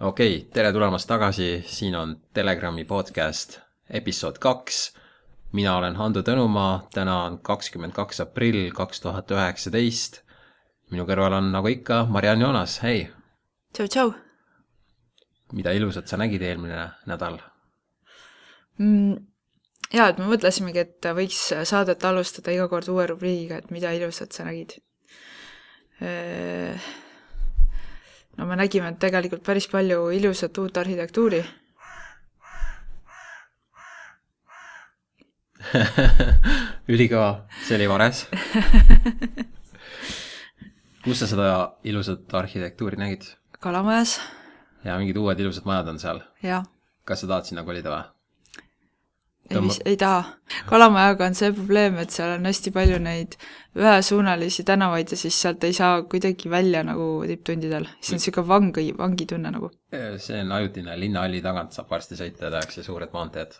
Okei, tere tulemast tagasi, siin on Telegrami podcast episood 2. Mina olen Hando Tõnumaa, täna on 22. aprill 2019. Minu kõrval on nagu ikka Mariann Joonas, hei! Tšau! Mida ilusat sa nägid eelmine nädal? Jaa, et me mõtlesimegi, et võiks saadet alustada iga kord uue rubriigiga, et mida ilusat sa nägid. No me nägime tegelikult päris palju ilusat uut arhitektuuri. Ülikõva, see oli vares. Kus sa seda ilusat arhitektuuri nägid? Kalamajas. Ja mingid uued ilusad majad on seal. Jaa. Kas sa tahad sinna kolida või? Ei taha. Kalamajaga on see probleem, et seal on hästi palju neid ühesuunalisi tänavaid ja siis sealt ei saa kuidagi välja nagu tipptundidel. See on siuke vangi tunne nagu. See on ajutine, linnahalli tagant saab varsti sõita ja tehakse suured maanteed.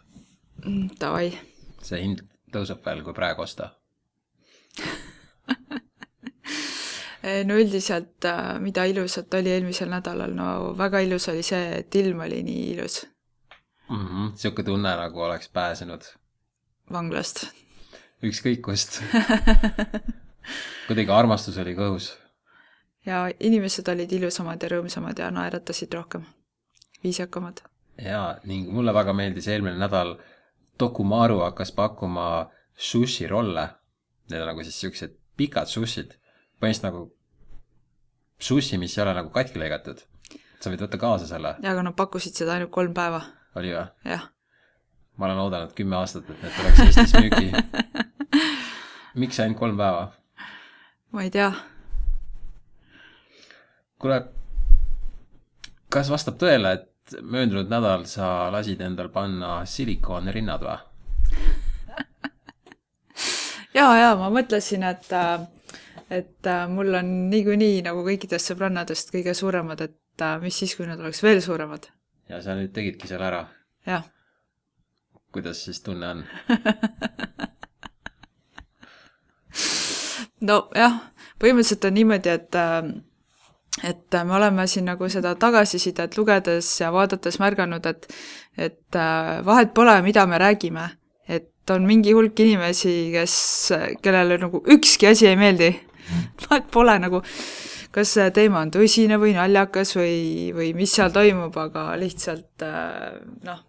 Tavai. See hind tõuseb veel, kui praegu osta. No üldiselt, mida ilusat oli eelmisel nädalal, no väga ilus oli see, et ilm oli nii ilus. Siuke tunne nagu oleks pääsenud vanglast. Ükskõik kust. Kuidagi armastus oli kõhus. Ja inimesed olid ilusamad ja rõõmsamad ja naeratasid rohkem. Viisakamad. Ja, ning mulle väga meeldis eelmine nädal Dokumaru hakkas pakkuma sushi rolle. Need on nagu siis siuksed pikad sushid. Põhimõtteliselt nagu sushi, mis ei ole nagu katki lõigatud. Sa võid võtta kaasa selle. Ja, aga nad pakkusid seda ainult 3 päeva. Oli või? Jah. Ma olen oodanud 10 aastat, et need tuleks Eestis müügi. Miks ainult 3 päeva? Ma ei tea. Kuule, kas vastab tõele, et möödunud nädal sa lasid endal panna silikooni rinnad või? Ja, ma mõtlesin, et mul on niikuinii nagu kõikidest sõbrannadest kõige suuremad, et mis siis, kui nad oleks veel suuremad. Ja sa nüüd tegidki selle ära? Jah. Kuidas siis tunne on? No jah, põhimõtteliselt on niimoodi, et me oleme siin nagu seda tagasisidet lugedes ja vaadates märganud, et vahet pole, mida me räägime. Et on mingi hulk inimesi, kellele nagu ükski asi ei meeldi. Vahet pole nagu... kas see teema on tõsine või naljakas või mis seal toimub, aga lihtsalt, noh,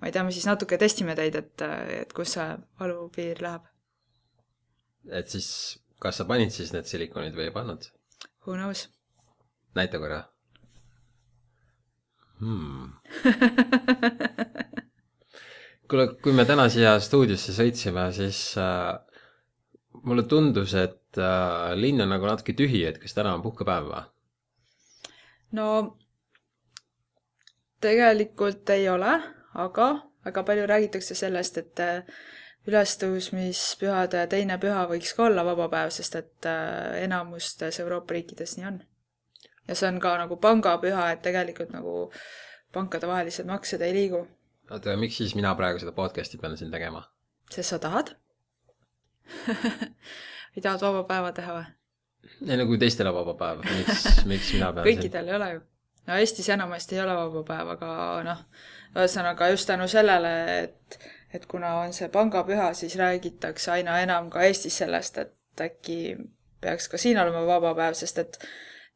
ma ei tea, me siis natuke testime teid, et kus see valupiir läheb. Et siis, kas sa panid siis need silikonid või ei pannud? Who knows? Näita korra. Kuule, kui me täna siia stuudiosse sõitsime, siis mulle tundus, et linn on nagu natuke tühi, et kas täna on puhkepäev või? No, tegelikult ei ole, aga väga palju räägitakse sellest, et ülestõusmispühade teine püha võiks ka olla vabapäev, sest et enamustes Euroopa riikides nii on. Ja see on ka nagu pangapüha, et tegelikult nagu pankade vahelised maksed ei liigu. Oota, miks siis mina praegu seda podcasti pean siin tegema? Sest sa tahad? Ei tahad vaba päeva teha või? Ei, no kui teistel on vaba päev, miks mina pean kõikidel ei ole ju. No Eestis enamasti ei ole vaba päev, aga noh, ühesõnaga just tänu sellele, et kuna on see pangapüha, siis räägitakse aina enam ka Eestis sellest, et äkki peaks ka siin olema vaba päev, sest et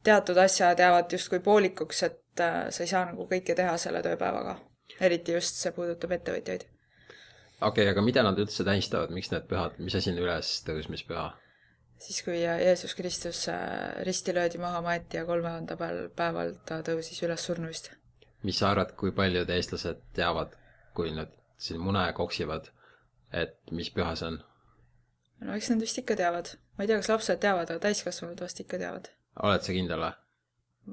teatud asjad jäävad justkui poolikuks, et sa ei saa nagu kõike teha selle tööpäevaga. Eriti just see puudutab ettevõtjaid. Okei, aga mida nad üldse tähistavad? Miks need pühad? Mis asi on üles tõusmispüha? Siis kui Jeesus Kristus risti löödi maha maeti ja 3. päeval ta tõusis üles surnuist. Mis sa arvad, kui paljud eestlased teavad, kui nad siin mune koksivad, et mis püha see on? No eks nad vist ikka teavad. Ma ei tea, kas lapsed teavad, aga täiskasvanud vast ikka teavad. Oled sa kindel või?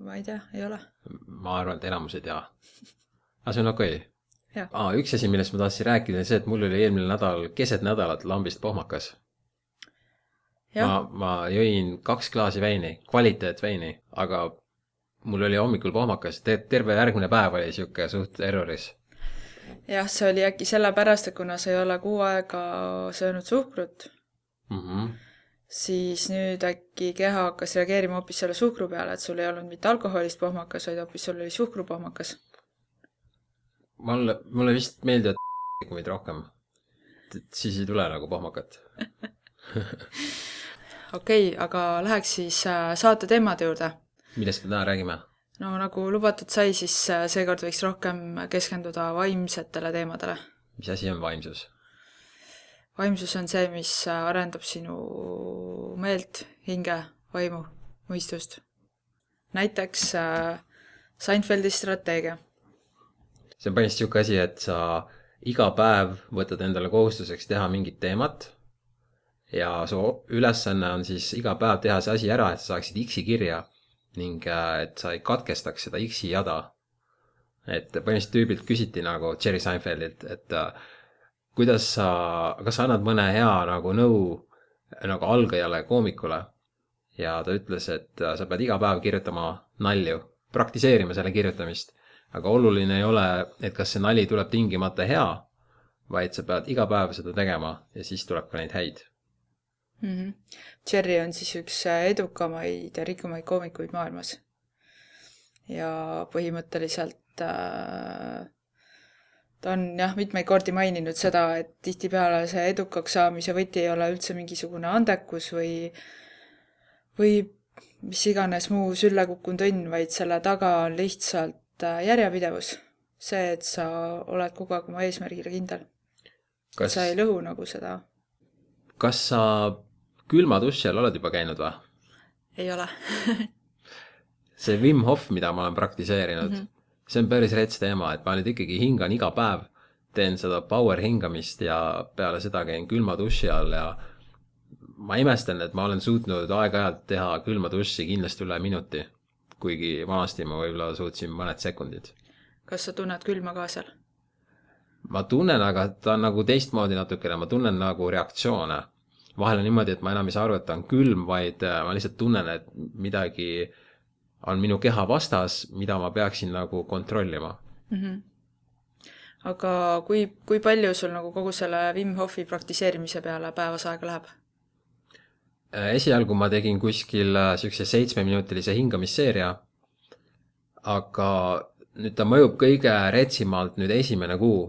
Ma ei tea, ei ole. Ma arvan, et enamus ei tea. Aga see on okei. Okay. Üks asi, millest ma tahtsin rääkida, on see, et mul oli eelmine nädal keset nädalat lambist pohmakas. Ma jõin 2 klaasi veini, kvaliteetveini, aga mul oli hommikul pohmakas. Terve järgmine päev oli siuke suht erroris. Jah, see oli äkki sellepärast, et kuna sa ei ole 6 aega söönud suhkrut, siis nüüd äkki keha hakkas reageerima hoopis selle suhkru peale, et sul ei olnud mitte alkoholist pohmakas, vaid hoopis sul oli suhkrupohmakas. Mulle vist meeldivad kumid rohkem. Siis ei tule nagu pohmakat. Okei, aga läheks siis saate teemade juurde. Millest me täna räägime? No nagu lubatud sai, siis seekord võiks rohkem keskenduda vaimsetele teemadele. Mis asi on vaimsus? Vaimsus on see, mis arendab sinu meelt, hinge, vaimu, mõistust. Näiteks Seinfeldi strateegia. See on põhimõtteliselt siuke asi, et sa iga päev võtad endale kohustuseks teha mingit teemat ja su ülesanne on siis iga päev teha see asi ära, et sa saaksid X-i kirja ning et sa ei katkestaks seda X-i jada. Et põhimõtteliselt tüübilt küsiti nagu Jerry Seinfeldilt, et kas sa annad mõne hea nagu nõu nagu algajale koomikule ja ta ütles, et sa pead iga päev kirjutama nalju, praktiseerima selle kirjutamist, aga oluline ei ole, et kas see nali tuleb tingimata hea, vaid sa pead iga päev seda tegema ja siis tuleb ka neid häid. Jerry on siis üks edukamaid ja rikkumaid koomikuid maailmas ja põhimõtteliselt ta on mitmeid kordi maininud seda, et tihtipeale see edukaks saamise võti ei ole üldse mingisugune andekus või mis iganes muu sülle kukkunud õnn, vaid selle taga on lihtsalt järjepidevus. See, et sa oled kogu aeg oma eesmärgile kindel. Sa ei lõhu nagu seda. Kas sa külma duši all oled juba käinud või? Ei ole. See Wim Hof, mida ma olen praktiseerinud, see on päris rets teema, et ma nüüd ikkagi hingan iga päev, teen seda power hingamist ja peale seda käin külma duši all ja ma imestan, et ma olen suutnud aeg-ajalt teha külma duši kindlasti üle minuti, kuigi vanasti ma võib-olla suutsin mõned sekundid. Kas sa tunned külma ka seal? Ma tunnen, aga ta on nagu teistmoodi natukene, ma tunnen nagu reaktsioone. Vahel on niimoodi, et ma enam ei saa aru, et ta on külm, vaid ma lihtsalt tunnen, et midagi on minu keha vastas, mida ma peaksin nagu kontrollima. Aga kui palju sul nagu kogu selle Wim Hofi praktiseerimise peale päevas aega läheb? Esialgu ma tegin kuskil siukse 7-minutilise hingamisseeria, aga nüüd ta mõjub kõige retsimalt nüüd esimene kuu.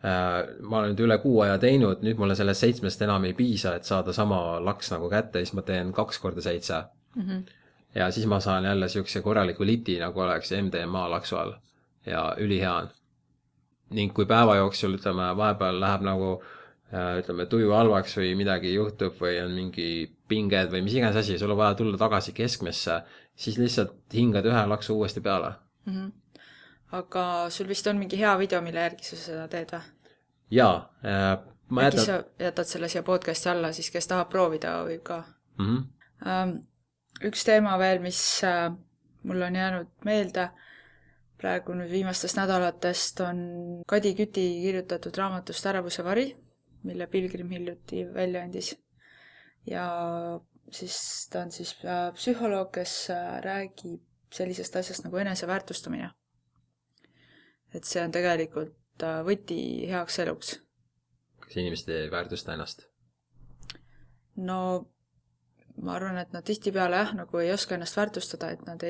Ma olen nüüd üle kuu aja teinud, nüüd mulle sellest 7 enam ei piisa, et saada sama laks nagu kätte, siis ma teen 2 korda 7. Ja siis ma saan jälle siukse korraliku liti, nagu oleks MDMA laksu all ja ülihea on. Ning kui päeva jooksul, vahepeal läheb nagu tuju halvaks või midagi juhtub või on mingi pinged või mis iganes asi, sul on vaja tulla tagasi keskmesse, siis lihtsalt hingad ühe laksu uuesti peale. Aga sul vist on mingi hea video, mille järgi sa seda teed või? Jaa. Äkki sa jätad selle siia podcasti alla, siis kes tahab proovida võib ka. Üks teema veel, mis mul on jäänud meelde praegu nüüd viimastest nädalatest, on Kadi Küti kirjutatud raamatust Ärevuse vari, mille Pilgrim hiljuti välja andis. Ja siis ta on siis psühholoog, kes räägib sellisest asjast nagu eneseväärtustamine. Et see on tegelikult võti heaks eluks. Kas inimesed ei väärtusta ennast? No ma arvan, et nad tihtipeale nagu ei oska ennast väärtustada, et nad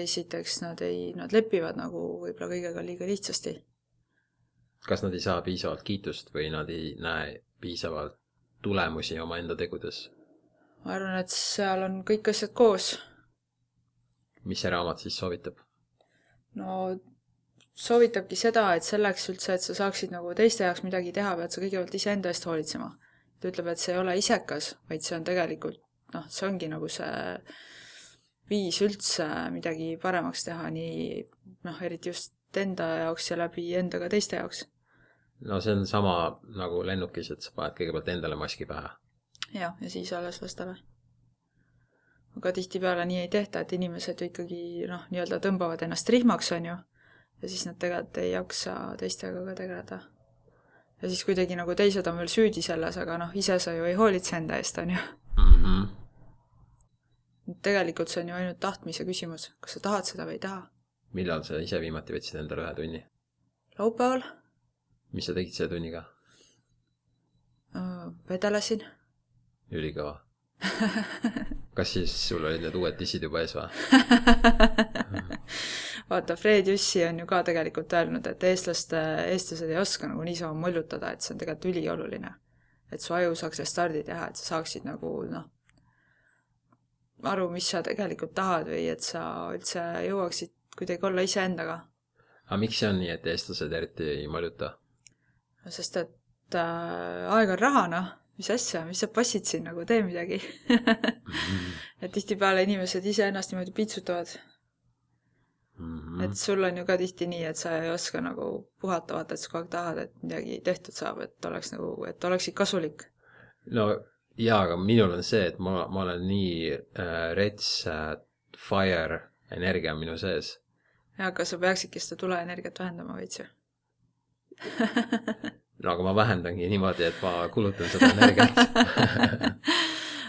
lepivad nagu võib-olla kõigega liiga lihtsasti. Kas nad ei saa piisavalt kiitust või nad ei näe piisavalt tulemusi oma enda tegudes? Ma arvan, et seal on kõik asjad koos. Mis see raamat siis soovitab? No soovitabki seda, et selleks üldse, et sa saaksid nagu teiste jaoks midagi teha, pead sa kõigepealt ise enda eest hoolitsema. Ta ütleb, et see ei ole isekas, vaid see on tegelikult see ongi nagu see viis üldse midagi paremaks teha, nii eriti just enda jaoks ja läbi endaga teiste jaoks. No see on sama nagu lennukis, et sa paned kõigepealt endale maski pähe. Ja siis alles vastale. Aga tihtipeale nii ei tehta, et inimesed ju ikkagi nii-öelda tõmbavad ennast rihmaks, on ju, ja siis nad tegelikult ei jaksa teistega ka tegeleda. Ja siis kuidagi nagu teised on veel süüdi selles, aga ise sa ju ei hoolitse enda eest, on ju. Tegelikult see on ju ainult tahtmise küsimus. Kas sa tahad seda või ei taha? Millal sa ise viimati võtsid endale 1 tunni? Laupäeval. Mis sa tegid selle tunniga? Vedelesin. Ülikõva. kas siis sul olid need uued dissid juba ees või? Vaata, Fred Jüssi on ju ka tegelikult öelnud, et eestlased ei oska nagu niisama mullutada, et see on tegelikult ülioluline. Et su aju saaks stardi teha, et sa saaksid nagu aru, mis sa tegelikult tahad või et sa üldse jõuaksid kuidagi olla iseendaga. Aga miks see on nii, et eestlased eriti ei mulluta? Sest et aeg on raha, noh. Mis asja, mis sa passid siin, nagu tee midagi. Et tihtipeale inimesed ise ennast niimoodi piitsutavad. Et sul on ju ka tihti nii, et sa ei oska nagu puhata, vaata, et sa kogu aeg tahad, et midagi tehtud saab, et oleksid kasulik. No jaa, aga minul on see, et ma olen nii rets fire energia minu sees. Ja, aga sa peaksidki seda tuleenergiat vähendama veits ju. No aga ma vähendangi niimoodi, et ma kulutan seda energiat.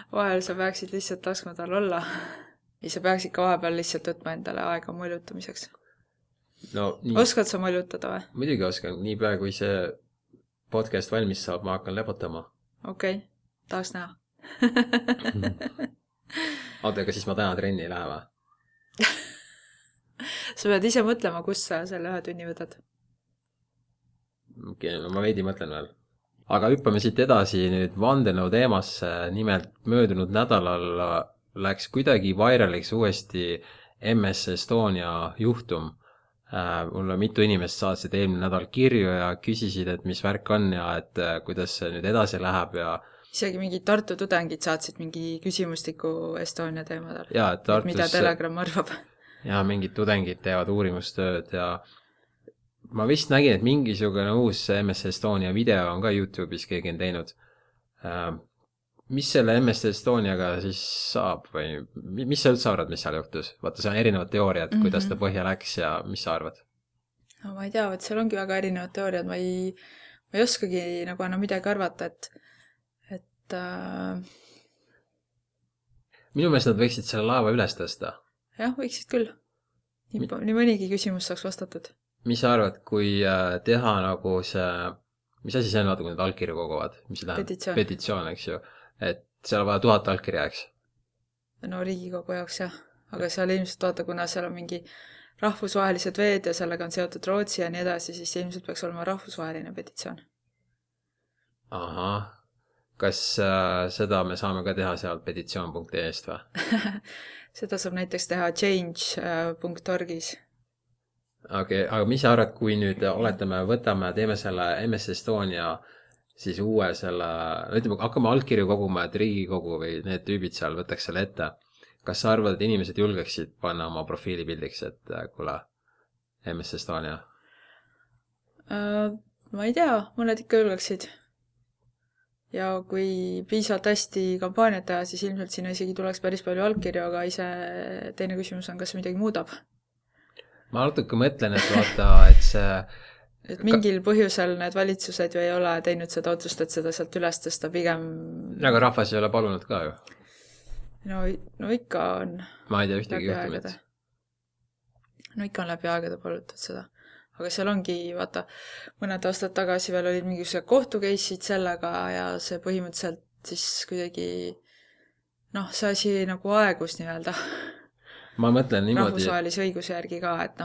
Vahel sa peaksid lihtsalt laskma tal olla. Ja sa peaksid ka vahepeal lihtsalt võtma endale aega muljutamiseks. No, nii... Oskad sa muljutada või? Muidugi oskan. Niipea kui see podcast valmis saab, ma hakkan lepotama. Okei, tahaks näha. Oota, aga siis ma täna trenni ei lähe või? Sa pead ise mõtlema, kus sa selle 1 tunni võtad. Okei, no ma veidi mõtlen veel. Aga hüppame siit edasi nüüd vandenõu teemasse. Nimelt möödunud nädalal läks kuidagi vairaliks uuesti MS Estonia juhtum. Mulle mitu inimest saatsid eelmine nädal kirju ja küsisid, et mis värk on ja et kuidas see nüüd edasi läheb ja isegi mingi Tartu tudengid saatsid mingi küsimustiku Estonia teemadel. Ja, Tartus... mida Telegram arvab. Ja mingid tudengid teevad uurimustööd ja ma vist nägin, et mingisugune uus MS Estonia video on ka YouTube'is keegi on teinud. Mis selle MS Estoniaga siis saab või mis sa üldse arvad, mis seal juhtus? Vaata, see on erinevad teooriad, kuidas ta põhja läks ja mis sa arvad? No, ma ei tea, et seal ongi väga erinevad teooriad. Ma ei oskagi nagu enam midagi arvata, et Minu meelest nad võiksid selle laeva üles tõsta. Jah, võiksid küll. Nii mõnigi küsimus saaks vastatud. Mis sa arvad, kui teha nagu see, mis asi see on, kui need allkirju koguvad? Mis see tähendab? Petitsioon, eks ju. Et seal on vaja 1000 allkirja, eks? No Riigikogu jaoks jah. Aga seal ilmselt vaata, kuna seal on mingi rahvusvahelised veed ja sellega on seotud Rootsi ja nii edasi, siis ilmselt peaks olema rahvusvaheline petitsioon. Aha. Kas seda me saame ka teha seal petitsioon.ee-st või? Seda saab näiteks teha change.orgis. Okei, aga mis sa arvad, kui nüüd teeme selle MS Estonia siis uue selle, ütleme, hakkame allkirju koguma, et Riigikogu või need tüübid seal võtaks selle ette. Kas sa arvad, et inimesed julgeksid panna oma profiilipildiks, et kuule, MS Estonia? Ma ei tea, mõned ikka julgeksid. Ja kui piisavalt hästi kampaaniat teha, siis ilmselt sinna isegi tuleks päris palju allkirju, aga ise teine küsimus on, kas midagi muudab. Ma natuke mõtlen, et vaata, et see... Et mingil põhjusel need valitsused ju ei ole teinud seda otsust, et seda sealt üles tõsta pigem... Aga rahvas ei ole palunud ka ju. No ikka on... Ma ei tea ühtegi juhtumit. No ikka on läbi aegade palutud seda. Aga seal ongi, vaata, mõned aastad tagasi veel olid mingisugused kohtukeisid sellega ja see põhimõtteliselt siis kuidagi... see asi nagu aegus nii-öelda. Ma mõtlen niimoodi... Rahvusvahelise õiguse järgi ka, et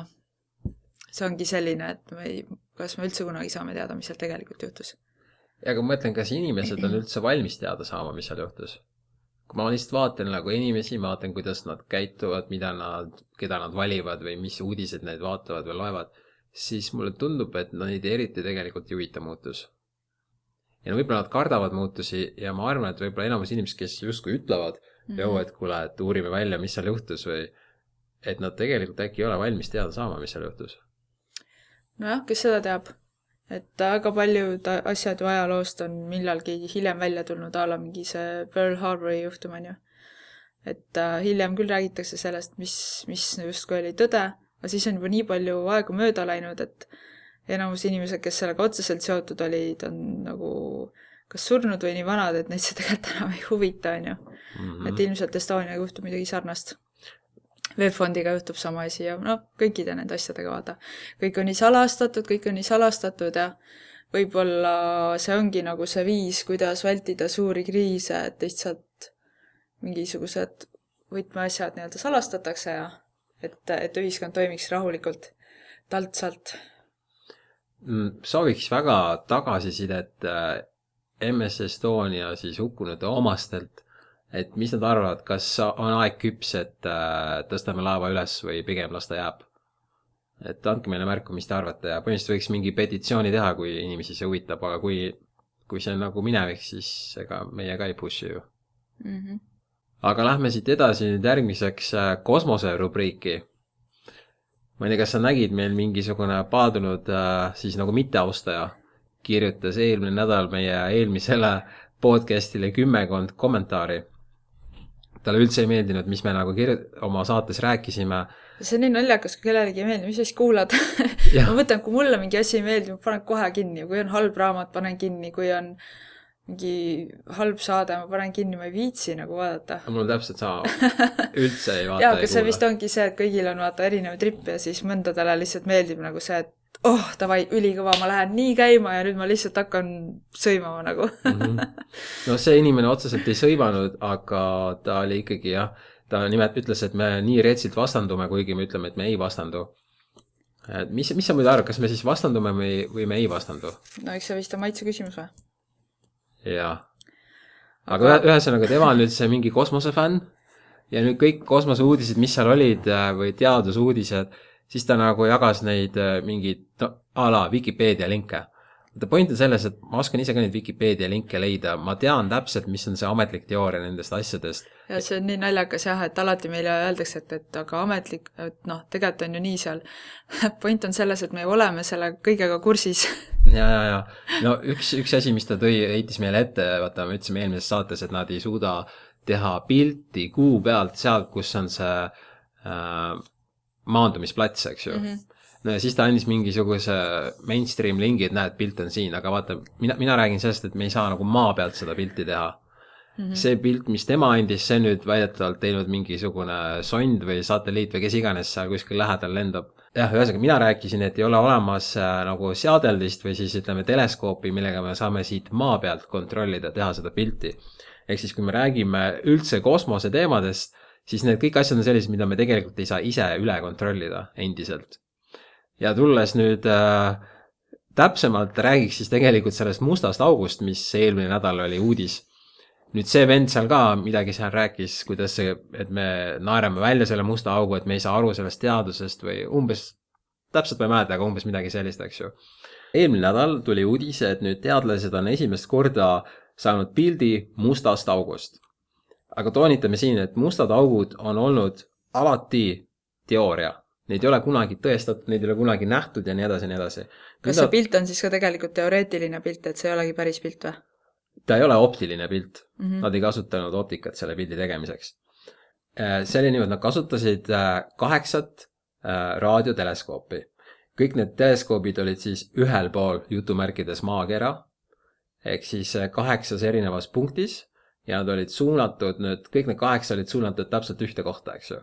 see ongi selline, et kas me üldse kunagi saame teada, mis seal tegelikult juhtus. Ja aga ma mõtlen, kas inimesed on üldse valmis teada saama, mis seal juhtus. Kui ma lihtsalt vaatan nagu inimesi, ma vaatan, kuidas nad käituvad, keda nad valivad või mis uudised neid vaatavad või loevad, siis mulle tundub, et neid eriti tegelikult juhita muutus. Ja võib-olla nad kardavad muutusi ja ma arvan, et võib-olla enamus inimesed, kes justkui ütlevad, et kuule, et uurime välja, mis seal juhtus või et nad tegelikult äkki ei ole valmis teada saama, mis seal juhtus. Nojah, kes seda teab, et väga paljud asjad ju ajaloost on millalgi hiljem välja tulnud ala mingi see Pearl Harbori juhtum on ju. Et hiljem küll räägitakse sellest, mis justkui oli tõde, aga siis on juba nii palju aegu mööda läinud, et enamus inimesed, kes sellega otseselt seotud olid, on nagu kas surnud või nii vanad, et neid see tegelikult enam ei huvita, on ju. Et ilmselt Estonia juhtub midagi sarnast. Webfondiga juhtub sama asi ja kõikide nende asjadega vaata. Kõik on nii salastatud ja võib-olla see ongi nagu see viis, kuidas vältida suuri kriise, et lihtsalt mingisugused võtmeasjad nii-öelda salastatakse ja et ühiskond toimiks rahulikult taltsalt. Sooviks väga tagasisidet MS Estonia siis hukkunute omastelt, et mis nad arvavad, kas on aeg küps, et tõstame laeva üles või pigem las ta jääb. Et andke meile märku, mis te arvate ja põhimõtteliselt võiks mingi petitsiooni teha, kui inimesi see huvitab, aga kui see on nagu minevik, siis ega meie ka ei pushi ju. Aga lähme siit edasi nüüd järgmiseks kosmose rubriiki. Ma ei tea, kas sa nägid, meil mingisugune paadunud siis nagu mitteaustaja kirjutas eelmine nädal meie eelmisele podcastile 10 kommentaari. Talle üldse ei meeldinud, mis me nagu oma saates rääkisime. See on nii naljakas, kui kellelegi ei meeldi, mis siis kuulad. Ma mõtlen, kui mulle mingi asi ei meeldi, ma panen kohe kinni. Kui on halb raamat, panen kinni. Kui on mingi halb saade, ma panen kinni, ma ei viitsi nagu vaadata. Mul on täpselt sama. Üldse ei vaata ja, aga see vist ongi see, et kõigil on vaata erinev tripp ja siis mõndadele lihtsalt meeldib nagu see, et davai, ülikõva, ma lähen nii käima ja nüüd ma lihtsalt hakkan sõimama nagu. No see inimene otseselt ei sõimanud, aga ta oli ikkagi ta nimelt ütles, et me nii retsilt vastandume, kuigi me ütleme, et me ei vastandu. Mis sa muidu arvad, kas me siis vastandume või me ei vastandu? No eks see vist on maitse küsimus või? Jaa. Aga ühesõnaga tema on nüüd see mingi kosmosefänn ja nüüd kõik kosmoseuudised, mis seal olid või teadusuudised, siis ta nagu jagas neid mingid a la Wikipedia linke. Ta point on selles, et ma oskan ise ka neid Wikipedia linke leida. Ma tean täpselt, mis on see ametlik teooria nendest asjadest. Ja see on nii naljakas et alati meile öeldakse, et aga ametlik, et tegelikult on ju nii seal. Point on selles, et me oleme selle kõigega kursis. Ja. No üks asi, mis ta heitis meile ette, vaata, me ütlesime eelmises saates, et nad ei suuda teha pilti kuu pealt sealt, kus on see maandumisplats, eks ju. No ja siis ta andis mingisuguse mainstream lingi, et näed, pilt on siin, aga vaata, mina räägin sellest, et me ei saa nagu maa pealt seda pilti teha. See pilt, mis tema andis, see nüüd väidetavalt teinud mingisugune sond või satelliit või kes iganes seal kuskil lähedal lendab. Jah, ühesõnaga, mina rääkisin, et ei ole olemas nagu seadeldist või siis ütleme teleskoopi, millega me saame siit maa pealt kontrollida, teha seda pilti. Ehk siis, kui me räägime üldse kosmose teemadest, siis need kõik asjad on sellised, mida me tegelikult ei saa ise üle kontrollida endiselt. Ja tulles nüüd täpsemalt räägiks siis tegelikult sellest mustast august, mis eelmine nädal oli uudis. Nüüd see vend seal ka midagi seal rääkis, kuidas see, et me naerame välja selle musta augu, et me ei saa aru sellest teadusest või umbes, täpselt ma ei mäleta, aga umbes midagi sellist, eks ju. Eelmine nädal tuli uudis, et nüüd teadlased on esimest korda saanud pildi mustast august. Aga toonitame siin, et mustad augud on olnud alati teooria. Neid ei ole kunagi tõestatud, neid ei ole kunagi nähtud ja nii edasi ja nii edasi. Kas see pilt on siis ka tegelikult teoreetiline pilt, et see ei olegi päris pilt või? Ta ei ole optiline pilt. Nad ei kasutanud optikat selle pildi tegemiseks. See oli niimoodi, nad kasutasid 8 raadioteleskoopi. Kõik need teleskoobid olid siis ühel pool jutumärkides maakera, ehk siis 8 erinevas punktis ja nad olid suunatud, kõik need 8 olid suunatud täpselt ühte kohta, eks ju.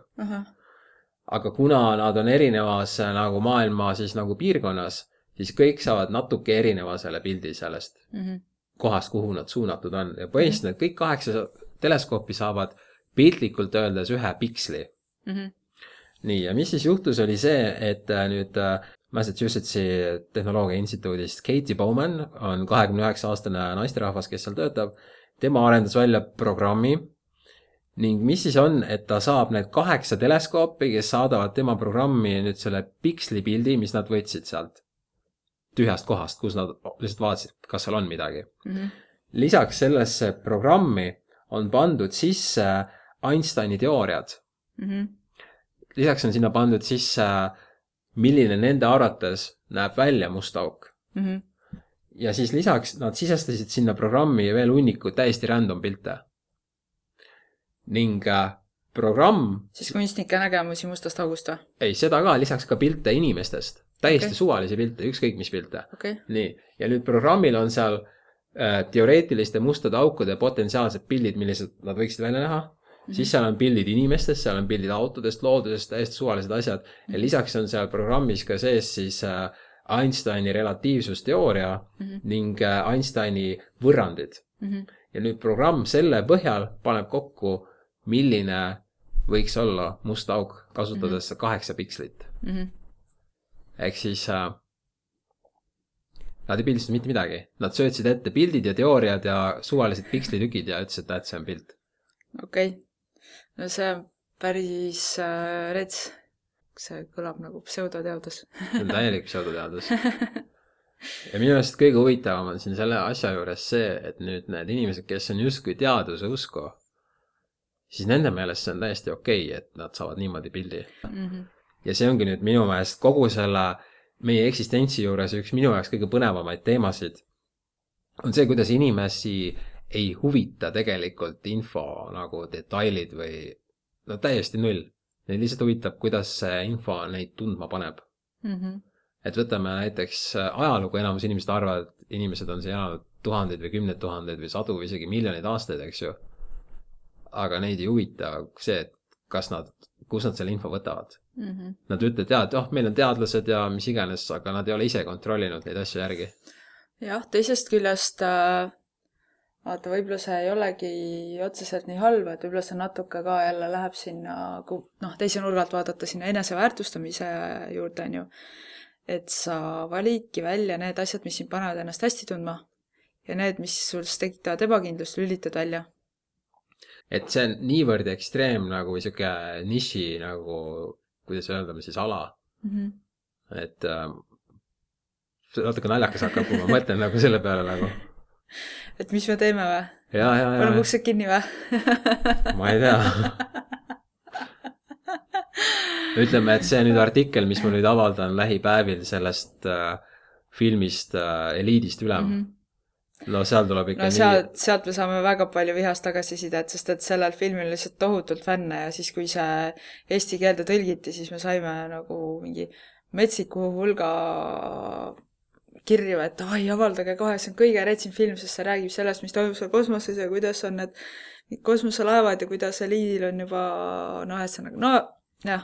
Aga kuna nad on erinevas nagu maailma siis nagu piirkonnas, siis kõik saavad natuke erineva selle pildi sellest kohast, kuhu nad suunatud on. Ja põhimõtteliselt kõik 8 teleskoopi saavad piltlikult öeldes ühe piksli. Nii, ja mis siis juhtus oli see, et nüüd Massachusettsi tehnoloogia instituudist Katie Bowman on 29-aastane naisterahvas, kes seal töötab. Tema arendas välja programmi ning mis siis on, et ta saab need 8 teleskoopi, kes saadavad tema programmi nüüd selle piksli pildi, mis nad võtsid sealt tühjast kohast, kus nad lihtsalt vaatasid, kas seal on midagi. Lisaks sellesse programmi on pandud sisse Einsteini teooriad. Lisaks on sinna pandud sisse, milline nende arvates näeb välja must auk. Ja siis lisaks nad sisestasid sinna programmi veel hunniku täiesti random pilte. Ning programm... Siis kunstnike nägemusi mustast august või? Ei, seda ka, lisaks ka pilte inimestest. Täiesti suvalisi pilte, ükskõik mis pilte. Nii, ja nüüd programmil on seal teoreetiliste mustade aukude potentsiaalsed pildid, millised nad võiksid välja näha. Siis seal on pildid inimestest, seal on pildid autodest, loodusest, täiesti suvalised asjad. Ja lisaks on seal programmis ka sees siis Einsteini relatiivsusteooria ning Einsteini võrrandid. Ja nüüd programm selle põhjal paneb kokku milline võiks olla must auk, kasutades 8 pikslit. Ehk siis nad ei pildistanud mitte midagi. Nad söötsid ette pildid ja teooriad ja suvalised pikslitükid ja ütlesid, et see on pilt. Okei. No see on päris rets. See kõlab nagu pseudoteadus. See on täielik pseudoteadus. Ja minu meelest kõige huvitavam on siin selle asja juures see, et nüüd need inimesed, kes on justkui teaduse usku, siis nende meelest see on täiesti okei, et nad saavad niimoodi pildi. Ja see ongi nüüd minu meelest kogu selle meie eksistentsi juures üks minu jaoks kõige põnevamaid teemasid on see, kuidas inimesi ei huvita tegelikult info nagu detailid või no täiesti null. Neid lihtsalt huvitab, kuidas see info neid tundma paneb. Et võtame näiteks ajalugu, enamus inimesed arvavad, et inimesed on siin elanud tuhandeid või 10 000 või 100 või isegi miljoneid aastaid, eks ju. Aga neid ei huvita see, et kus nad selle info võtavad. Nad ütlevad, et meil on teadlased ja mis iganes, aga nad ei ole ise kontrollinud neid asju järgi. Jah, teisest küljest vaata, võib-olla see ei olegi otseselt nii halb, et võib-olla see natuke ka jälle läheb sinna, teise nurgalt vaadata sinna eneseväärtustamise juurde, on ju. Et sa validki välja need asjad, mis sind panevad ennast hästi tundma ja need, mis sul tekitavad ebakindlust, lülitad välja. Et see on niivõrd ekstreem nagu siuke niši nagu, kuidas öelda, siis ala. Et natuke naljakas hakkab, kui ma mõtlen nagu selle peale nagu. Et mis me teeme või? Ja. Paneme uksed kinni või? Ma ei tea. Ütleme, et see nüüd artikkel, mis ma nüüd avaldan lähipäevil sellest filmist Eliidist ülem. No seal tuleb ikka sealt me saame väga palju vihast tagasisidet, sest et sellel filmil lihtsalt tohutult fänne ja siis, kui see eesti keelde tõlgiti, siis me saime nagu mingi metsiku hulga kirju, et avaldage kohe, see on kõige retsim film, sest see räägib sellest, mis toimub seal kosmoses ja kuidas on need kosmoselaevad ja kuidas Eliidil on juba jah.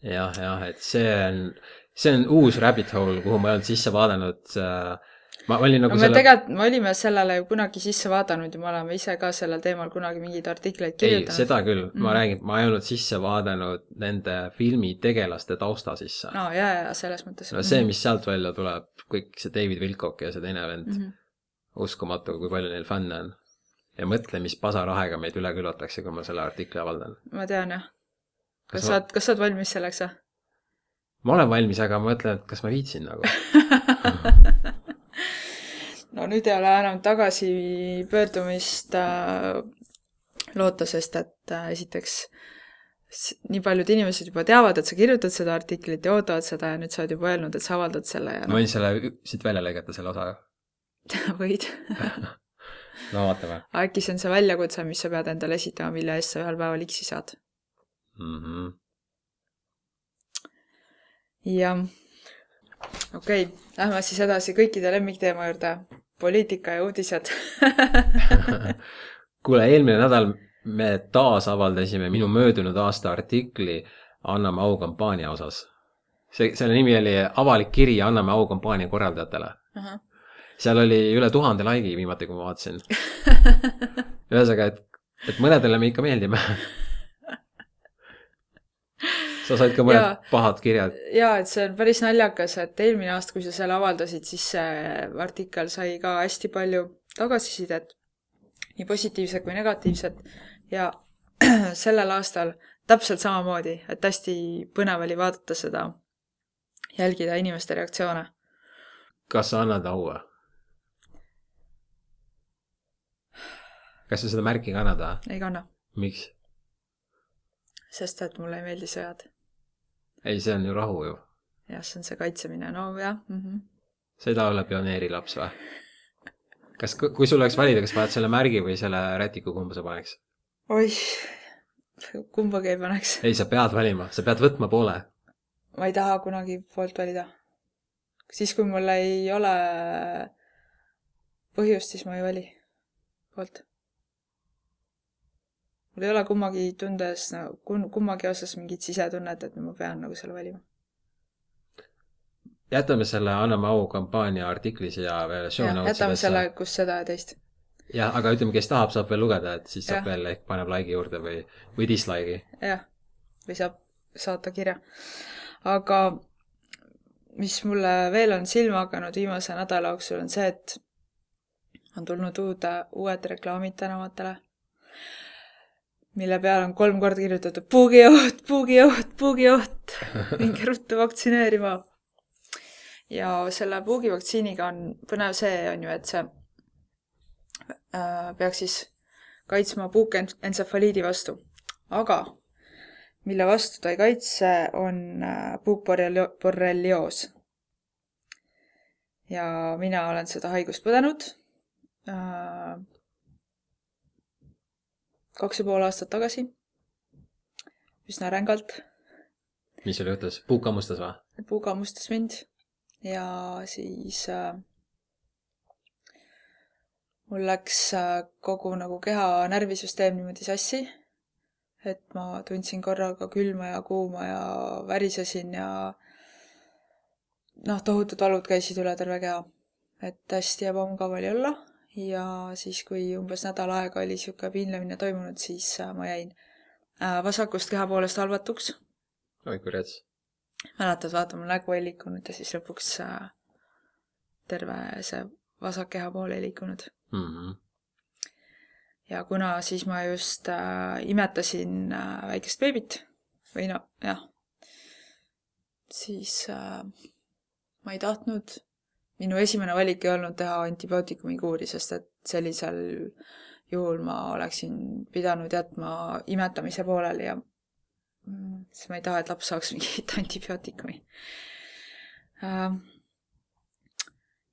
Jah, et see on uus rabbit hole, kuhu ma ei olnud sisse vaadanud. Ma olime sellele ju kunagi sisse vaadanud ja me oleme ise ka sellel teemal kunagi mingeid artikleid kirjutanud. Ei, seda küll. Ma räägin, ma ei olnud sisse vaadanud nende filmi tegelaste tausta sisse. No, ja, selles mõttes. No see, mis sealt välja tuleb, kõik see David Wilcock ja see teine vend, uskumatu, kui palju neil fänne on. Ja mõtle, mis pasarahega meid üle külvatakse, kui ma selle artikli avaldan. Ma tean, jah. Kas sa oled valmis selleks, jah? Ma olen valmis, aga ma mõtlen, et kas ma viitsin nagu. No nüüd ei ole enam tagasi pöördumist loota, sest et esiteks nii paljud inimesed juba teavad, et sa kirjutad seda artiklit ja ootavad seda ja nüüd sa oled juba öelnud, et sa avaldad selle. Ja ma võin selle siit välja lõigata selle osa. Võid. No vaatame. Äkki see on see väljakutse, mis sa pead endale esitama, mille eest sa ühel päeval X-i saad. Ja okei, lähme siis edasi kõikide lemmikteema juurde. Poliitika ja uudised. Kuule, eelmine nädal me taas avaldasime minu möödunud aasta artikli Anname au kampaania osas. Selle nimi oli avalik kiri Anname au kampaania korraldajatele. Seal oli üle 1000 laigi viimati, kui ma vaatasin. Ühesõnaga, et mõnedele me ikka meeldime. Sa said ka mõned pahad kirjad. Jaa, et see on päris naljakas, et eelmine aasta, kui sa selle avaldasid, siis see artikkel sai ka hästi palju tagasisidet, nii positiivset kui negatiivset. Ja sellel aastal täpselt samamoodi, et hästi põnev oli vaadata seda, jälgida inimeste reaktsioone. Kas sa annad au? Kas sa seda märki kannada? Ei kanna. Miks? Sest et mulle ei meeldi sõjad. Ei, see on ju rahu ju. Jah, see on see kaitsemine. No jah. Sa ei taha olla pioneerilaps või? Kui sul oleks valida, kas paned selle märgi või selle rätiku, kumba sa paneks? Oih, kumbagi ei paneks. Ei, sa pead valima. Sa pead võtma poole. Ma ei taha kunagi poolt valida. Siis, kui mul ei ole põhjust, siis ma ei vali poolt. Mul ei ole kummagi osas mingit sisetunnet, et ma pean nagu selle valima. Jätame selle Anname au kampaania artikli siia veel show notes'idesse. Jätame selle, kus seda ja teist. jah, aga ütleme, kes tahab, saab veel lugeda, et siis saab Jah. veel ehk paneb like'i juurde või dislike'i. jah, või saab saata kirja. Aga mis mulle veel on silma hakanud viimase nädala jooksul on see, et on tulnud uued reklaamid tänavatele, mille peal on 3 korda kirjutatud puugioht, puugioht, puugioht, minge ruttu vaktsineerima. Ja selle puugivaktsiiniga on põnev see, on ju, et see peaks siis kaitsma puukentsefaliidi vastu. Aga mille vastu ta ei kaitse, on puukborrelioos. Ja mina olen seda haigust põdenud 2,5 aastat tagasi. Üsna rängalt. Mis sul juhtus? Puuk hammustas või? Puuk hammustas mind ja siis mul läks kogu nagu keha närvisüsteem niimoodi sassi, et ma tundsin korraga külma ja kuuma ja värisesin ja tohutud valud käisid üle terve keha. Et hästi ebamugav oli olla ja siis, kui umbes nädal aega oli siuke piinlemine toimunud, siis ma jäin vasakust keha poolest halvatuks. Oi, kui rets. Mäletad, vaata, mul nägu ei liikunud ja siis lõpuks terve see vasak keha pool ei liikunud. Ja kuna siis ma just imetasin väikest beebit või siis ma ei tahtnud, minu esimene valik ei olnud teha antibiootikumi kuuri, sest et sellisel juhul ma oleksin pidanud jätma imetamise pooleli ja siis ma ei taha, et laps saaks mingit antibiootikumi.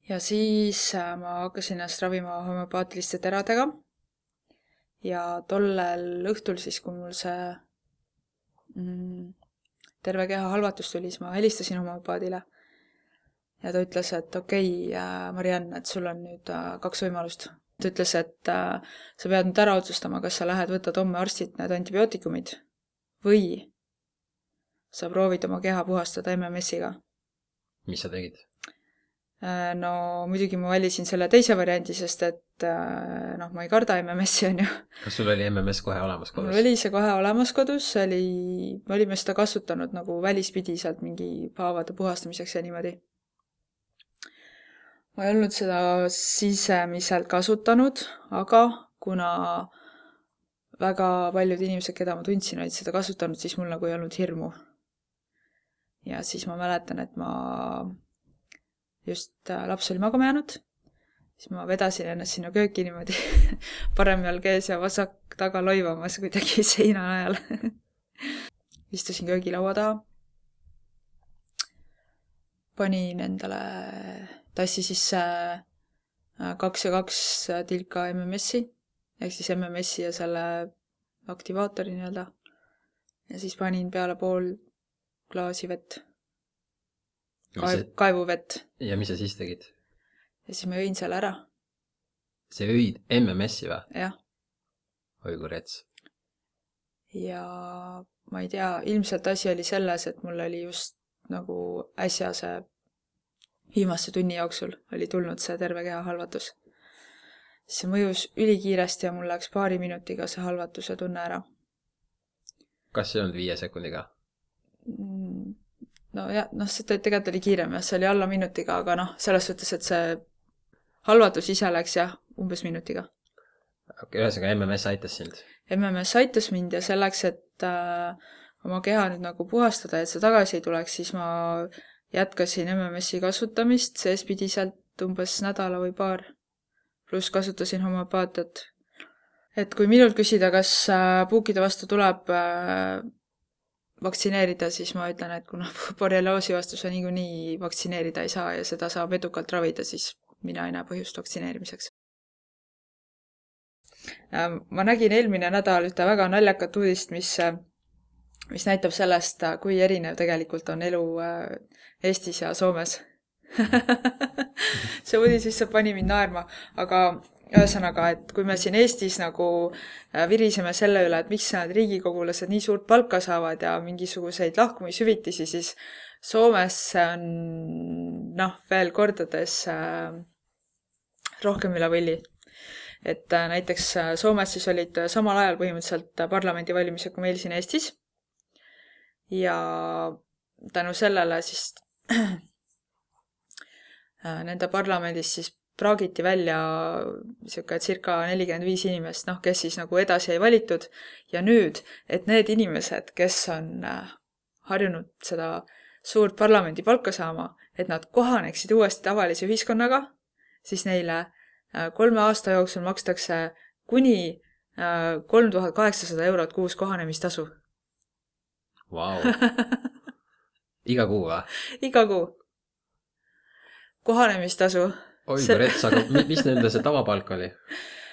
Ja siis ma hakkasin ennast ravima homöopaatiliste teradega ja tollel õhtul siis, kui mul see terve keha halvatus tuli, siis ma helistasin homöopaadile ja ta ütles, et okei, Marianne, et sul on nüüd 2 võimalust. Ta ütles, et sa pead nüüd ära otsustama, kas sa lähed võtad homme arstilt need antibiootikumid või sa proovid oma keha puhastada MMS-iga. Mis sa tegid? No muidugi ma valisin selle teise variandi, sest et ma ei karda MMS-i, on ju. Kas sul oli MMS kohe olemas kodus? Mul oli see kohe olemas kodus, me olime seda kasutanud nagu välispidiselt mingi haavade puhastamiseks ja niimoodi. Ma ei olnud seda sisemiselt kasutanud, aga kuna väga paljud inimesed, keda ma tundsin, olid seda kasutanud, siis mul nagu ei olnud hirmu. Ja siis ma mäletan, et ma just laps oli magama jäänud, siis ma vedasin ennast sinna kööki niimoodi parem jalg ees ja vasak taga loivamas kuidagi seina najal. Istusin köögilaua taha, panin endale tassi sisse 2 ja 2 tilka MMS-i, ehk siis MMS-i ja selle aktivaatori nii-öelda. Ja siis panin peale pool klaasi vett. Kaevuvett. Ja mis sa siis tegid? Ja siis ma jõin selle ära. See jõid MMS-i või? Jah. Oi, kui rets. Ja ma ei tea, ilmselt asi oli selles, et mul oli just nagu äsja see viimase tunni jooksul oli tulnud see terve keha halvatus. See mõjus ülikiiresti ja mul läks 2 minutiga see halvatuse tunne ära. Kas see ei olnud 5 sekundiga? See tegelikult oli kiirem ja see oli alla minutiga, aga selles suhtes, et see halvatus ise läks umbes minutiga. Ühesõnaga MMS aitas sind? MMS aitas mind ja selleks, et oma keha nüüd nagu puhastada, et see tagasi ei tuleks, siis ma jätkasin MMS-i kasutamist seespidiselt umbes nädala või 2. Pluss kasutasin homöopaatiat. Et kui minult küsida, kas puukide vastu tuleb vaktsineerida, siis ma ütlen, et kuna borrelioosi vastu sa niikuinii vaktsineerida ei saa ja seda saab edukalt ravida, siis mina ei näe põhjust vaktsineerimiseks. Ma nägin eelmine nädal ühte väga naljakat uudist, mis näitab sellest, kui erinev tegelikult on elu Eestis ja Soomes. See uudis lihtsalt pani mind naerma, aga ühesõnaga, et kui me siin Eestis nagu viriseme selle üle, et miks need riigikogulased nii suurt palka saavad ja mingisuguseid lahkumishüvitisi, siis Soomes on veel kordades rohkem üle võlli. et näiteks Soomes siis olid samal ajal põhimõtteliselt parlamendivalimised kui meil siin Eestis ja tänu sellele siis nende parlamendis siis praagiti välja siuke circa 45 inimest, noh, kes siis nagu edasi ei valitud ja nüüd, et need inimesed, kes on harjunud seda suurt parlamendi palka saama, et nad kohaneksid uuesti tavalise ühiskonnaga, siis neile 3 aasta jooksul makstakse kuni 3800 eurot kuus kohanemistasu. Vau. Iga kuu või? Iga kuu. Kohanemistasu. Oi, rets, aga mis nende see tavapalk oli?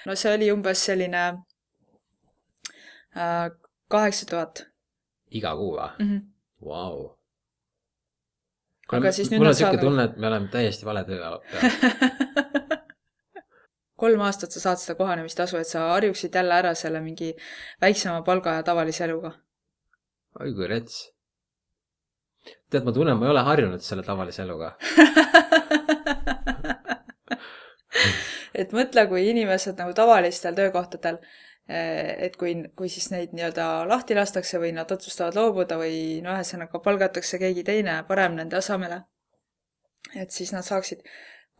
No see oli umbes selline 8000. Iga kuu või? Vau. Aga siis nüüd mul nad on siuke saavad... tunne, et me oleme täiesti vale töö peal. 3 aastat sa saad seda kohanemistasu, et sa harjuksid jälle ära selle mingi väiksema palga ja tavalise eluga. Oi, kui rets. Tead, ma tunnen, ma ei ole harjunud selle tavalise eluga. Et mõtle, kui inimesed nagu tavalistel töökohtadel, et kui siis neid nii-öelda lahti lastakse või nad otsustavad loobuda või no ühesõnaga palgatakse keegi teine parem nende asemele, et siis nad saaksid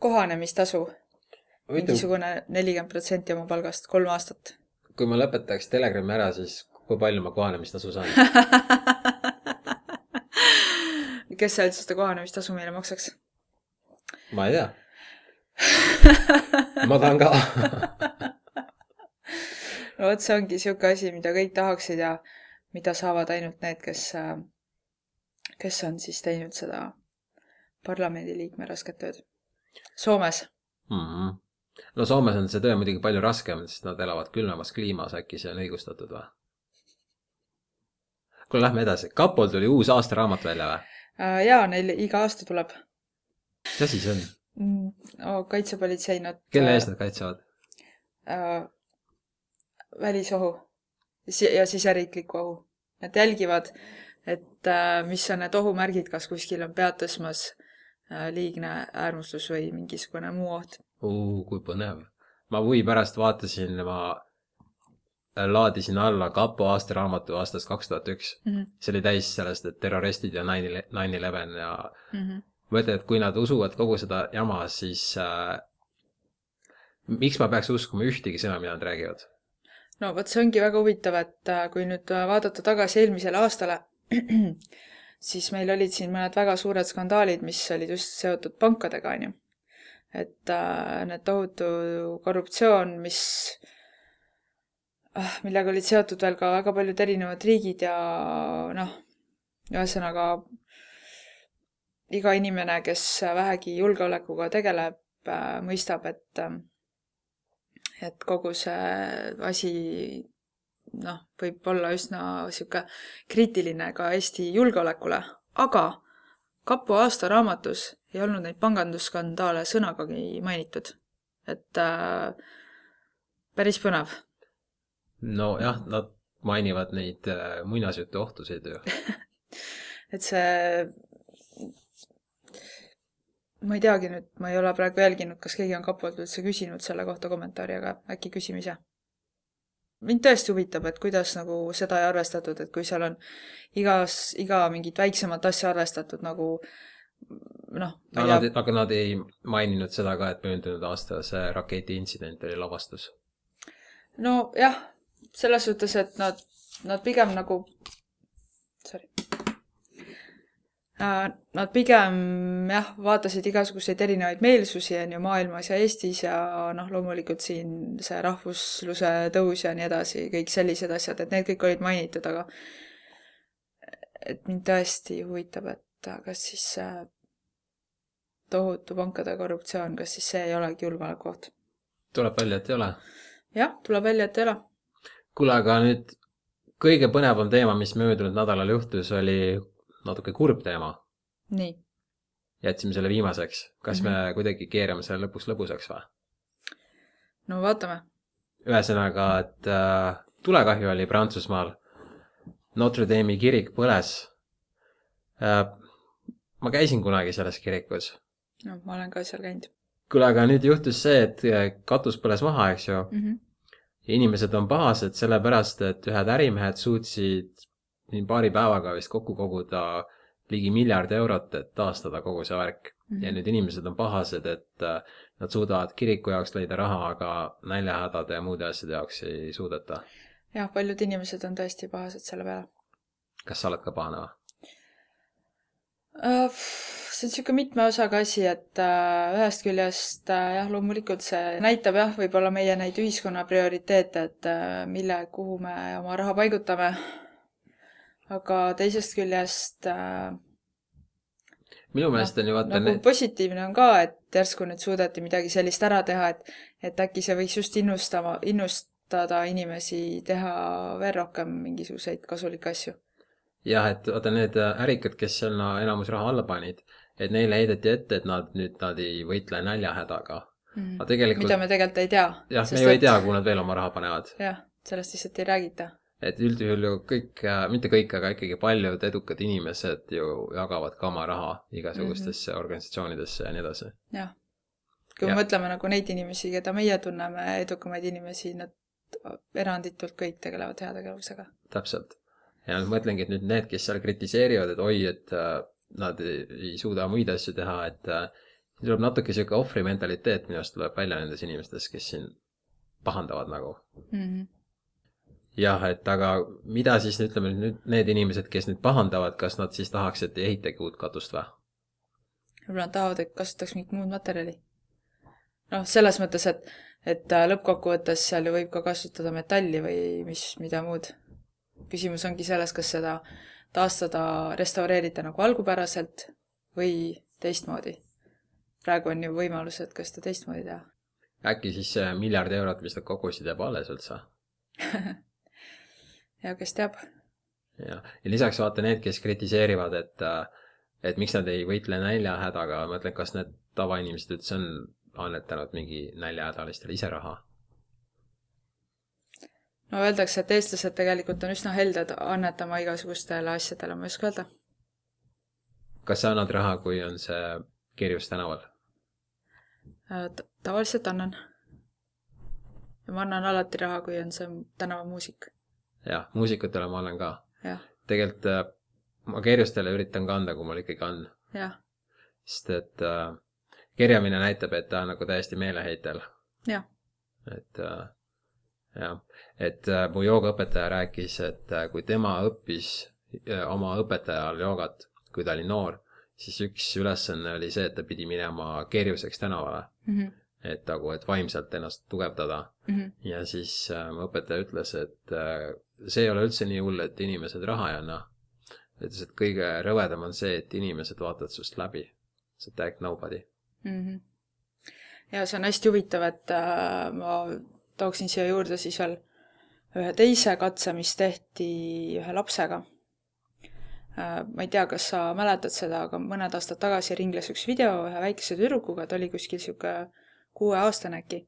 kohanemistasu mingisugune 40% oma palgast 3 aastat. Kui ma lõpetaks Telegrami ära, siis kui palju ma kohanemistasu saan? Kes sa üldse seda kohanemistasu meile maksaks? Ma ei tea. Ma tahan ka. No vot, see ongi siuke asi, mida kõik tahaksid ja mida saavad ainult need, kes on siis teinud seda parlamendiliikme rasket tööd. Soomes. No Soomes on see töö muidugi palju raskem, sest nad elavad külmemas kliimas, äkki see on õigustatud või? Kuule, lähme edasi. Kapol tuli uus aastaraamat välja või? Jaa, neil iga aasta tuleb. Mis asi see on? Kaitsepolitsei nad... Kelle eest nad kaitsevad? Välisohu ja siseriikliku ohu. Nad jälgivad, et mis on need ohumärgid, kas kuskil on pead tõsmas liigne äärmustus või mingisugune muu oht. Kui põnev. Ma huvi pärast vaatasin, ma laadisin alla Kapo aastaraamatu aastast 2001. See oli täis sellest, et terroristid ja 9/11 ja mõtle, et kui nad usuvad kogu seda jama, siis miks ma peaks uskuma ühtegi sõna, mida nad räägivad? No vot, see ongi väga huvitav, et kui nüüd vaadata tagasi eelmisele aastale, siis meil olid siin mõned väga suured skandaalid, mis olid just seotud pankadega, on ju. Et need tohutu korruptsioon, millega olid seotud veel ka väga paljud erinevad riigid ja noh, ühesõnaga iga inimene, kes vähegi julgeolekuga tegeleb, mõistab, et kogu see asi võib olla üsna siuke kriitiline ka Eesti julgeolekule, aga Kapo aastaraamatus ei olnud neid pangandusskandaale sõnagagi mainitud. Et päris põnev. No jah, nad mainivad neid muinasjutu ohtuseid ju. Et see... Ma ei teagi nüüd, ma ei ole praegu jälginud, kas keegi on Kapolt üldse küsinud selle kohta kommentaari, aga äkki küsime ise. Mind tõesti huvitab, et kuidas nagu seda ei arvestatud, et kui seal on iga mingit väiksemat asja arvestatud nagu Aga nad ei maininud seda ka, et möödunud aasta see raketi intsident oli lavastus. No jah, selles suhtes, et nad pigem nagu... Nad pigem vaatasid igasuguseid erinevaid meelsusi on ju maailmas ja Eestis ja loomulikult siin see rahvusluse tõus ja nii edasi, kõik sellised asjad, et need kõik olid mainitud, aga et mind tõesti huvitab, et kas siis tohutu pankade korruptsioon, kas siis see ei olegi julgeolekuoht? Tuleb välja, et ei ole. Jah, tuleb välja, et ei ole. Kuule, aga nüüd kõige põnevam teema, mis möödunud nädalal juhtus, oli natuke kurb teema. Nii. Jätsime selle viimaseks. Kas me kuidagi keerame selle lõpuks lõbusaks või? No vaatame. Ühesõnaga, et tulekahju oli Prantsusmaal. Notre Dame'i kirik põles. Ma käisin kunagi selles kirikus. No, ma olen ka seal käinud. kuule, aga nüüd juhtus see, et katus põles maha, eks ju. Ja inimesed on pahased sellepärast, et ühed ärimehed suutsid nii paari päevaga vist kokku koguda ligi $1 miljard, et taastada kogu see värk. Ja nüüd inimesed on pahased, et nad suudavad kiriku jaoks leida raha, aga näljahädade ja muude asjade jaoks ei suudeta. Jah, paljud inimesed on tõesti pahased selle peale. Kas sa oled ka pahane või? See on siuke mitme osaga asi, et ühest küljest jah, loomulikult see näitab jah, võib-olla meie neid ühiskonna prioriteete, et kuhu me oma raha paigutame. Aga teisest küljest minu meelest on ju vaata nagu positiivne on ka, et järsku nüüd suudeti midagi sellist ära teha, et äkki see võiks just innustada inimesi teha veel rohkem mingisuguseid kasulikke asju. Jah, et vaata need ärikad, kes seal enamus raha alla panid, et neile heideti ette, et nad ei võitle näljahädaga. Mida me tegelikult ei tea. Jah, me ju ei tea, kuhu nad veel oma raha panevad. Jah, sellest lihtsalt ei räägita. Et üldjuhul ju kõik, mitte kõik, aga ikkagi paljud edukad inimesed ju jagavad ka oma raha igasugustesse organisatsioonidesse ja nii edasi. Jah. Kui me mõtleme nagu neid inimesi, keda meie tunneme, edukamaid inimesi, nad eranditult kõik tegelevad heategevusega. Täpselt. Ja mõtlengi, et nüüd need, kes seal kritiseerivad, et oi, et nad ei suuda muid asju teha, et tuleb natuke siuke ohvri mentaliteet minust tuleb välja nendes inimestes, kes siin pahandavad nagu. Jah, et aga mida siis ütleme nüüd need inimesed, kes nüüd pahandavad, kas nad siis tahaks, et ei ehitagi uut katust või? Võib-olla nad tahavad, et kasutaks mingit muud materjali. Noh, selles mõttes, et lõppkokkuvõttes seal ju võib ka kasutada metalli või mida muud. Küsimus ongi selles, kas seda taastada, restaureerida nagu algupäraselt või teistmoodi. Praegu on ju võimalused, kas seda teistmoodi teha. Äkki siis see $1 miljard, mis nad kogusid jääb alles üldse? Ja kes teab. Ja lisaks vaata need, kes kritiseerivad, et miks nad ei võitle näljahädaga, ma mõtlen, kas need tavainimesed üldse on annetanud mingi näljahädalistele ise raha? No öeldakse, et eestlased tegelikult on üsna helded annetama igasugustele asjadele, ma ei oska öelda. Kas sa annad raha, kui on see kirjus tänaval? Tavaliselt annan. Ja ma annan alati raha, kui on see tänavamuusik. Jah, muusikutele ma annan ka. Jah. Tegelikult ma kerjustele üritan ka anda, kui mul ikkagi on. Jah. Sest et kerjamine näitab, et ta on nagu täiesti meeleheitel. Jah. Et mu joogaõpetaja rääkis, et kui tema õppis oma õpetajal joogat, kui ta oli noor, siis üks ülesanne oli see, et ta pidi minema kerjuseks tänavale. Et vaimselt ennast tugevdada. Ja siis mu õpetaja ütles, et see ei ole üldse nii hull, et inimesed raha ei anna. Ütles, et kõige rõvedam on see, et inimesed vaatavad sust läbi. See tag nobody. Ja see on hästi huvitav, et ma tooksin siia juurde siis veel ühe teise katse, mis tehti ühe lapsega. Ma ei tea, kas sa mäletad seda, aga mõned aastad tagasi ringles üks video ühe väikese tüdrukuga, ta oli kuskil siuke 6-aastane äkki.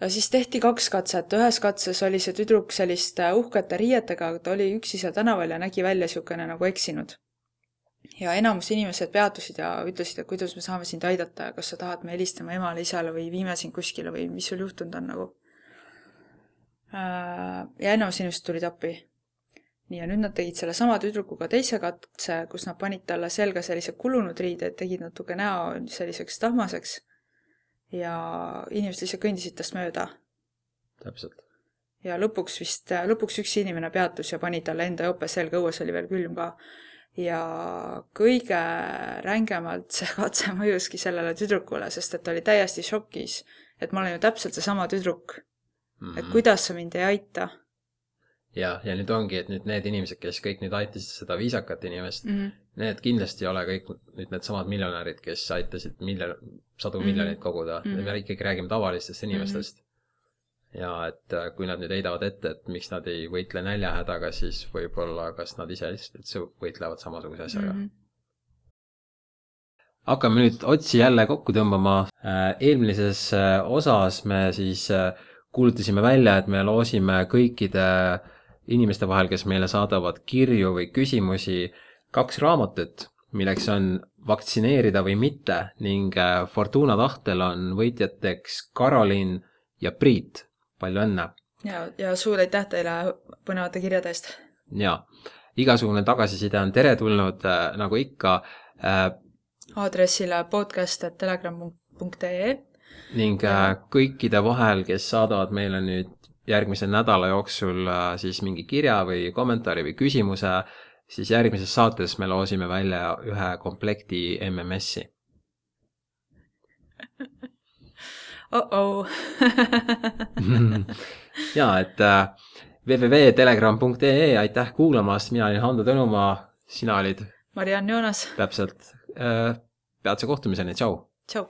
Ja siis tehti 2 katset. Ühes katses oli see tüdruk selliste uhkete riietega, ta oli üksi seal tänaval ja nägi välja siukene nagu eksinud. Ja enamus inimesed peatusid ja ütlesid, et kuidas me saame sind aidata ja kas sa tahad me helistama emale, isale või viime sind kuskile või mis sul juhtunud on nagu. Ja enamus inimesed tulid appi. Nii, ja nüüd nad tegid selle sama tüdrukuga teise katse, kus nad panid talle selga sellise kulunud riided, tegid natuke näo selliseks tahmaseks ja inimesed lihtsalt kõndisid tast mööda. Täpselt. Ja lõpuks üks inimene peatus ja pani talle enda jope selga, õues oli veel külm ka. Ja kõige rängemalt see katse mõjuski sellele tüdrukule, sest et ta oli täiesti šokis, et ma olen ju täpselt see sama tüdruk. Et kuidas sa mind ei aita? Ja nüüd ongi, et nüüd need inimesed, kes kõik nüüd aitasid seda viisakat inimest, need kindlasti ei ole kõik nüüd need samad miljonärid, kes aitasid sadu miljoneid koguda. Me ikkagi räägime tavalistest inimestest. Ja et kui nad nüüd heidavad ette, et miks nad ei võitle näljahädaga, siis võib-olla kas nad ise üldse võitlevad samasuguse asjaga. Hakkame nüüd otsi jälle kokku tõmbama. Eelmises osas me siis kuulutasime välja, et me loosime kõikide inimeste vahel, kes meile saadavad kirju või küsimusi 2 raamatut, milleks on vaktsineerida või mitte ning Fortuna tahtel on võitjateks Karolin ja Priit. Palju õnne! Ja suur aitäh teile põnevate kirjade eest! Ja, igasugune tagasiside on teretulnud, nagu ikka. Aadressile podcast@telegram.ee ning kõikide vahel, kes saadavad meile nüüd järgmise nädala jooksul siis mingi kirja või kommentaari või küsimuse, siis järgmises saates me loosime välja ühe komplekti MMS-i. Ja, et www.telegram.ee, aitäh kuulamast, mina olin Hando Tõnumaa, sina olid Mariann Joonas. Täpselt, peatse kohtumiseni, tšau! Tšau!